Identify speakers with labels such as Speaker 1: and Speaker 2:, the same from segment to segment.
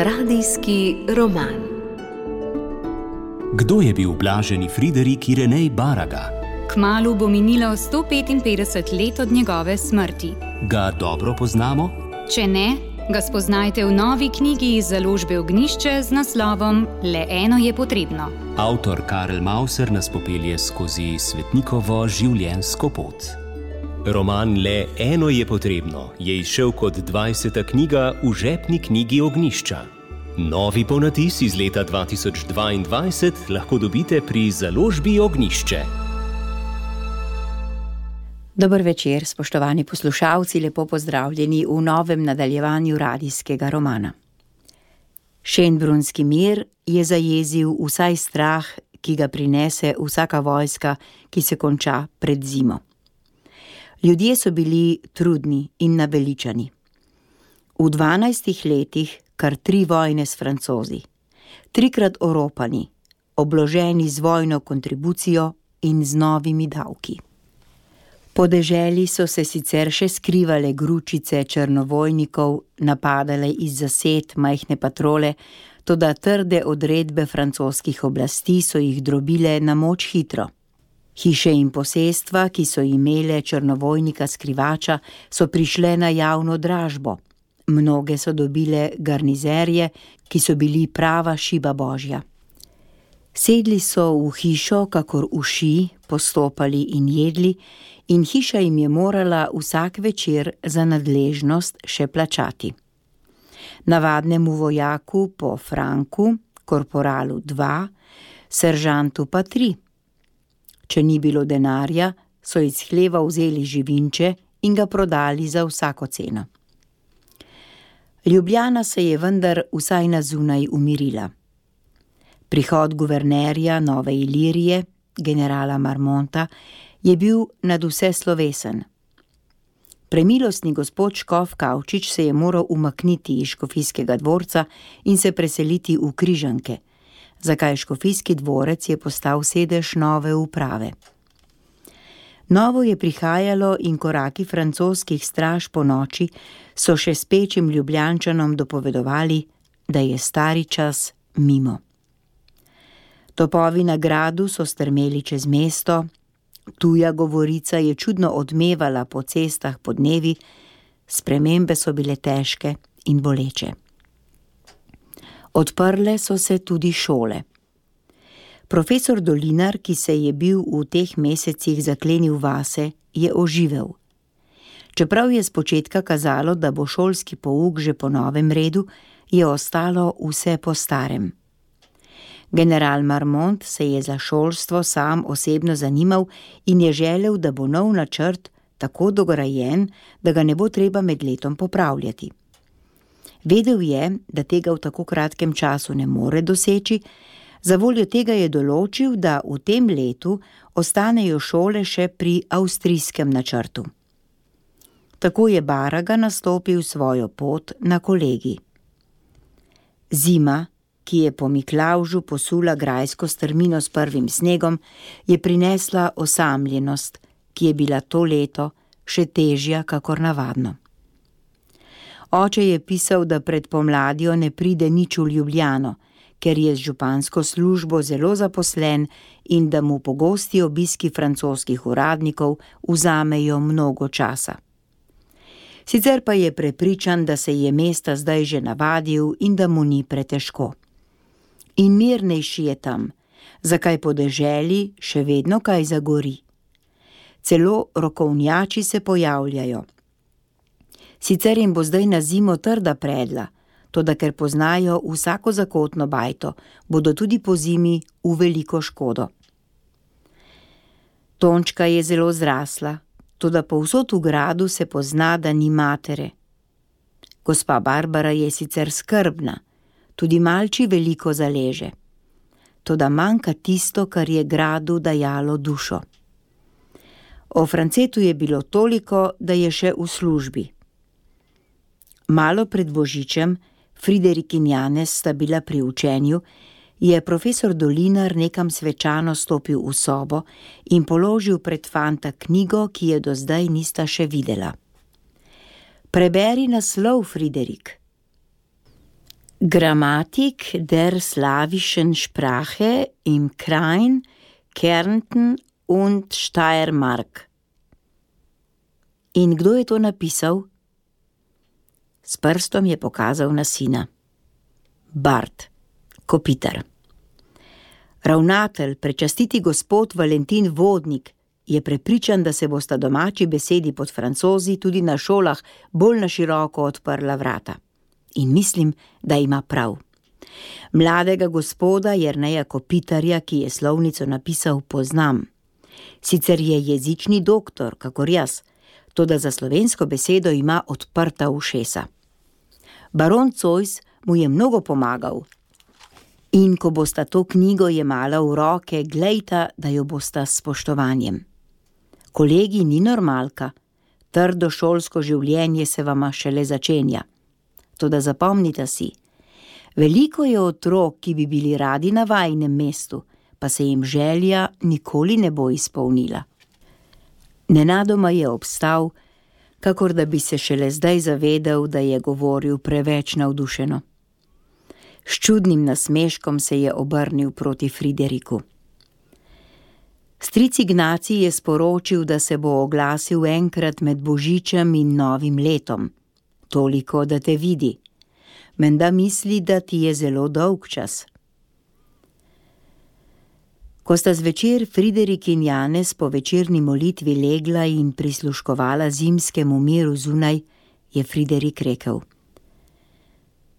Speaker 1: Radijski roman.
Speaker 2: Kdo je bil blaženi Friderik Irenej Baraga?
Speaker 3: Kmalu bo minilo 155 let od njegove smrti.
Speaker 2: Ga dobro poznamo?
Speaker 3: Če ne, ga spoznajte v novi knjigi iz založbe Ognjišče z naslovom Le eno je potrebno.
Speaker 2: Avtor Karel Mauser nas popelje skozi svetnikovo življenjsko pot. Roman Le eno je potrebno je izšel kot 20. knjiga v žepni knjigi Ognjišča. Novi ponatis iz leta 2022 lahko dobite pri založbi Ognjišče.
Speaker 4: Dober večer, spoštovani poslušalci, lepo pozdravljeni v novem nadaljevanju radijskega romana. Šenbrunski mir je zajezil vsaj strah, ki ga prinese vsaka vojska, ki se konča pred zimo. Ljudje so bili trudni in naveličani. V 12 letih kar 3 vojne s Francozi, 3-krat oropani, obloženi z vojno kontribucijo in z novimi davki. Po deželi so se sicer še skrivale gručice črnovojnikov, napadale iz zased majhne patrole, toda trde odredbe francoskih oblasti so jih drobile na moč hitro. Hiše in posestva, ki so imele črnovojnika skrivača, so prišle na javno dražbo. Mnoge so dobile garnizerje, ki so bili prava šiba božja. Sedli so v hišo, kakor uši, postopali in jedli, in hiša jim je morala vsak večer za nadležnost še plačati. Navadnemu vojaku po franku, korporalu 2, seržantu pa 3. Če ni bilo denarja, so iz hleva vzeli živinče in ga prodali za vsako ceno. Ljubljana se je vendar vsaj na zunaj umirila. Prihod guvernerja Nove Ilirije, generala Marmonta, je bil nadvse slovesen. Premilostni gospod škof Kavčič se je moral umakniti iz škofijskega dvorca in se preseliti v Križanke, zakaj škofijski dvorec je postal sedež nove uprave. Novo je prihajalo in koraki francoskih straž po noči so še spečim Ljubljančanom dopovedovali, da je stari čas mimo. Topovi na gradu so strmeli čez mesto, tuja govorica je čudno odmevala po cestah podnevi, spremembe so bile težke in boleče. Odprle so se tudi šole. Profesor Dolinar, ki se je bil v teh mesecih zaklenil vase, je oživel. Čeprav je spočetka kazalo, da bo šolski pouk že po novem redu, je ostalo vse po starem. General Marmont se je za šolstvo sam osebno zanimal in je želel, da bo nov načrt tako dograjen, da ga ne bo treba med letom popravljati. Vedel je, da tega v tako kratkem času ne more doseči, zavoljo tega je določil, da v tem letu ostanejo šole še pri avstrijskem načrtu. Tako je Baraga nastopil svojo pot na kolegij. Zima, ki je po Miklavžu posula grajsko strmino s prvim snegom, je prinesla osamljenost, ki je bila to leto še težja kakor navadno. Oče je pisal, da pred pomladjo ne pride nič v Ljubljano, ker je z župansko službo zelo zaposlen in da mu pogosti obiski francoskih uradnikov vzamejo mnogo časa. Sicer pa je prepričan, da se je mesta zdaj že navadil in da mu ni pretežko. In mirnejši je tam, zakaj po deželi še vedno kaj zagori. Celo rokovnjači se pojavljajo. Sicer jim bo zdaj na zimo trda predla, toda ker poznajo vsako zakotno bajto, bodo tudi po zimi v veliko škodo. Tončka je zelo zrasla, toda povsod v gradu se pozna, da ni matere. Gospa Barbara je sicer skrbna, tudi malči veliko zaleže, toda manjka tisto, kar je gradu dajalo dušo. O Francetu je bilo toliko, da je še v službi. Malo pred Božičem, Friderik in Janez sta bila pri učenju, je profesor Dolinar nekam svečano stopil v sobo in položil pred fanta knjigo, ki je do zdaj nista še videla. Preberi naslov, Friderik. Grammatik der slawischen Sprache im Krain, Kärnten und Steiermark. In kdo je to napisal? S prstom je pokazal na sina. Bart, Kopitar. Ravnatelj, prečastiti gospod Valentin Vodnik, je prepričan, da se bosta domači besedi pod Francozi tudi na šolah bolj na široko odprla vrata. In mislim, da ima prav. Mladega gospoda Jerneja Kopitarja, ki je slovnico napisal, poznam. Sicer je jezični doktor, kakor jaz, toda za slovensko besedo ima odprta ušesa. Baron Zois mu je mnogo pomagal. In ko bosta to knjigo jemala v roke, glejta, da jo bosta s spoštovanjem. Kolegi, ni normalka, trdo šolsko življenje se vama šele začenja. Toda zapomnite si, veliko je otrok, ki bi bili radi na vajinem mestu, pa se jim želja nikoli ne bo izpolnila. Nenadoma je obstal, kakor da bi se šele zdaj zavedel, da je govoril preveč navdušeno. S čudnim nasmeškom se je obrnil proti Frideriku. Stric Ignacij je sporočil, da se bo oglasil enkrat med Božičem in Novim letom. Toliko, da te vidi. Menda misli, da ti je zelo dolg čas. Ko sta zvečer Friderik in Janez po večerni molitvi legla in prisluškovala zimskemu miru zunaj, je Friderik rekel: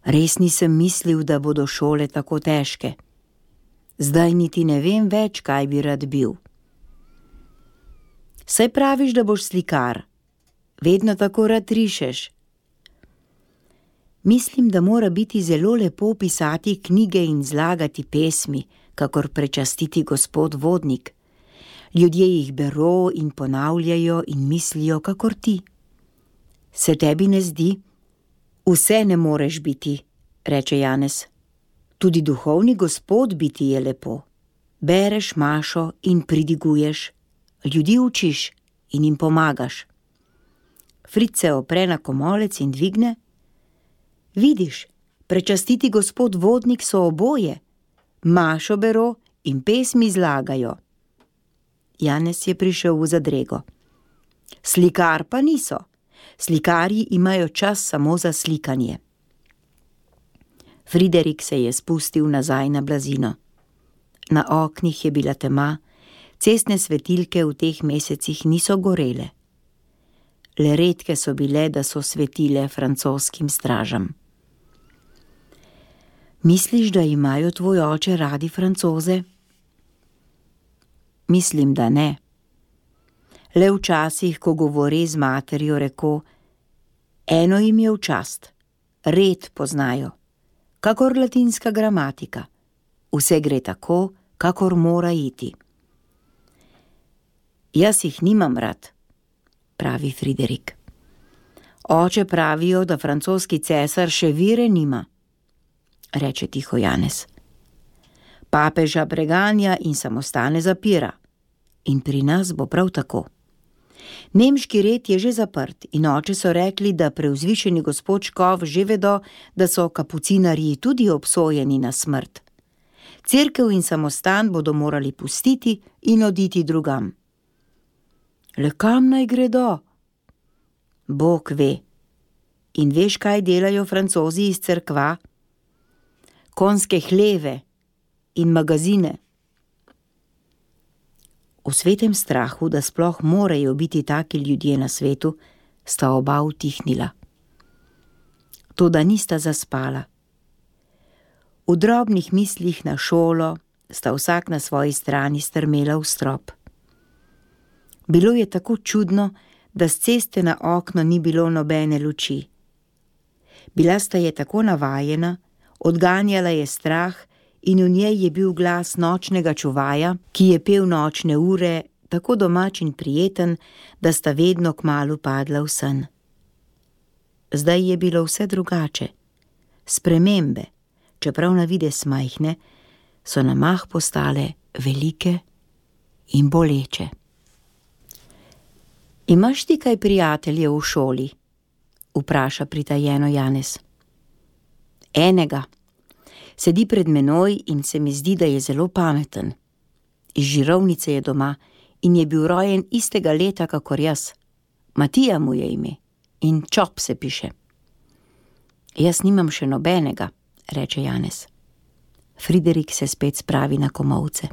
Speaker 4: Res nisem mislil, da bodo šole tako težke. Zdaj niti ne vem več, kaj bi rad bil. Saj praviš, da boš slikar. Vedno tako rad rišeš. Mislim, da mora biti zelo lepo pisati knjige in zlagati pesmi, kakor prečastiti gospod Vodnik. Ljudje jih bero in ponavljajo in mislijo, kakor ti. Se tebi ne zdi? Vse ne moreš biti, reče Janez. Tudi duhovni gospod biti je lepo. Bereš mašo in pridiguješ. Ljudi učiš in jim pomagaš. Fritz se opre na komolec in dvigne. Vidiš, prečastiti gospod Vodnik so oboje. Mašo bero in pesmi zlagajo. Janez je prišel v zadrego. Slikar pa niso. Slikarji imajo čas samo za slikanje. Friderik se je spustil nazaj na blazino. Na oknih je bila tema, cestne svetilke v teh mesecih niso gorele. Le redke so bile, da so svetile francoskim stražam. Misliš, da imajo tvoj oče radi Francoze? Mislim, da ne. Le včasih, ko govori z materjo, reko, eno jim je v čast, red poznajo, kakor latinska gramatika. Vse gre tako, kakor mora iti. Jaz jih nimam rad, pravi Friderik. Oče pravijo, da francoski cesar še vire nima, reče tiho Janez. Papeža preganja in samostane zapira. In pri nas bo prav tako. Nemški red je že zaprt in oče so rekli, da preuzvišeni gospod Škof že vedo, da so kapucinarji tudi obsojeni na smrt. Cerkev in samostan bodo morali pustiti in oditi drugam. Le kam naj gredo? Bog ve. In veš, kaj delajo Francozi iz cerkva? Konjske hleve in magazine. V svetem strahu, da sploh morajo biti taki ljudje na svetu, sta oba utihnila. Toda nista zaspala. V drobnih mislih na šolo sta vsak na svoji strani strmela v strop. Bilo je tako čudno, da s ceste na okno ni bilo nobene luči. Bila sta je tako navajena, odganjala je strah in v njej je bil glas nočnega čuvaja, ki je pel nočne ure, tako domač in prijeten, da sta vedno kmalu padla v sen. Zdaj je bilo vse drugače. Spremembe, čeprav na videz majhne, so na mah postale velike in boleče. Imaš ti kaj prijateljev v šoli? Vpraša pritajeno Janez. Enega. Sedi pred menoj in se mi zdi, da je zelo pameten. Iz Žirovnice je doma in je bil rojen istega leta, kakor jaz. Matija mu je ime in Čop se piše. Jaz nimam še nobenega, reče Janez. Friderik se spet spravi na komolce.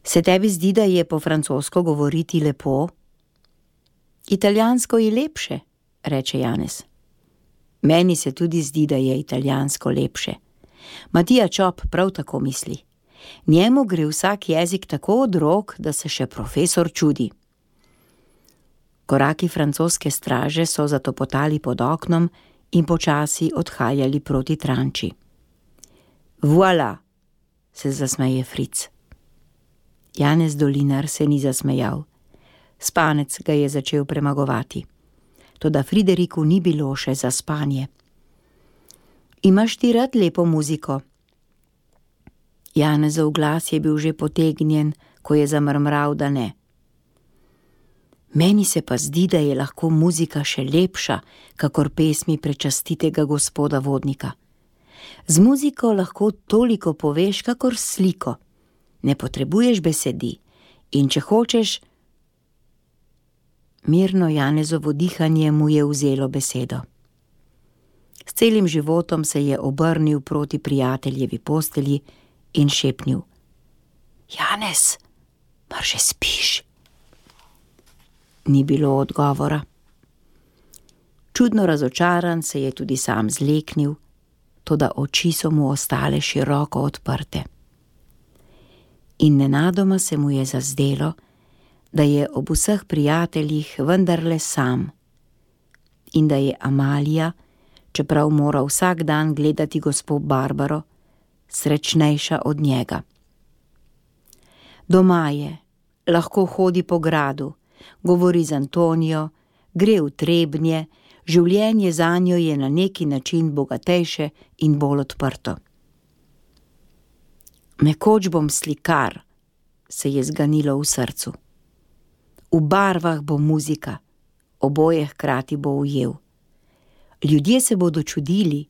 Speaker 4: Se tebi zdi, da je po francosko govoriti lepo? Italijansko je lepše, reče Janez. Meni se tudi zdi, da je italijansko lepše. Matija Čop prav tako misli. Njemu gre vsak jezik tako od rok, da se še profesor čudi. Koraki francoske straže so zatopotali pod oknom in počasi odhajali proti Tranči. Voilà, se zasmeje Fric. Janez Dolinar se ni zasmejal. Spanec ga je začel premagovati. Toda Frideriku ni bilo še za spanje. Imaš ti rad lepo muziko? Janezov glas je bil že potegnjen, ko je zamrmral, da ne. Meni se pa zdi, da je lahko muzika še lepša, kakor pesmi prečastitega gospoda Vodnika. Z muziko lahko toliko poveš, kakor sliko. Ne potrebuješ besedi in če hočeš... Mirno Janezovo dihanje mu je vzelo besedo. S celim životom se je obrnil proti prijateljevi postelji in šepnil. Janez, mar že spiš? Ni bilo odgovora. Čudno razočaran se je tudi sam zleknil, toda oči so mu ostale široko odprte. In nenadoma se mu je zazdelo, da je ob vseh prijateljih vendarle sam in da je Amalija, čeprav mora vsak dan gledati gospo Barbaro, srečnejša od njega. Doma je, lahko hodi po gradu, govori z Antonijo, gre v Trebnje, življenje zanjo je na neki način bogatejše in bolj odprto. Nekoč bom slikar, se je zganilo v srcu. V barvah bo muzika, oboje hkrati bo ujel. Ljudje se bodo čudili.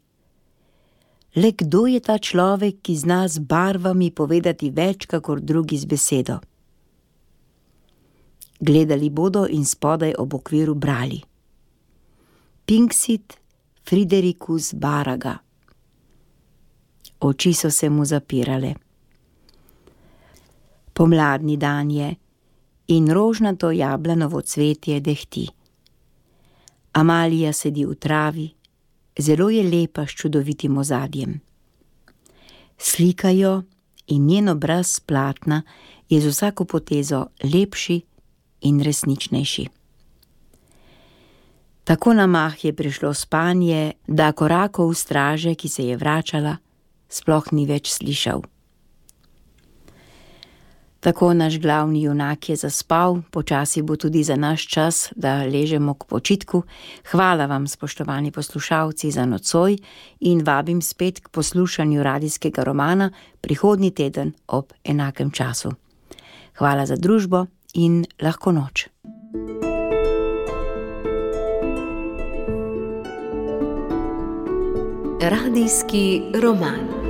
Speaker 4: Le kdo je ta človek, ki zna z barvami povedati več, kakor drugi z besedo? Gledali bodo in spodaj ob okviru brali. Pinxit Fridericus Baraga. Oči so se mu zapirale. Pomladni dan je in rožnato jablanovo cvetje dehti. Amalija sedi v travi, zelo je lepa s čudovitim ozadjem. Slikajo in njen obraz platna je z vsako potezo lepši in resničnejši. Tako na mah je prišlo spanje, da korakov straže, ki se je vračala, sploh ni več slišal. Tako naš glavni junak je zaspal, počasi bo tudi za naš čas, da ležemo k počitku. Hvala vam, spoštovani poslušalci, za nocoj in vabim spet k poslušanju radijskega romana prihodnji teden ob enakem času. Hvala za družbo in lahko noč.
Speaker 1: Radijski roman.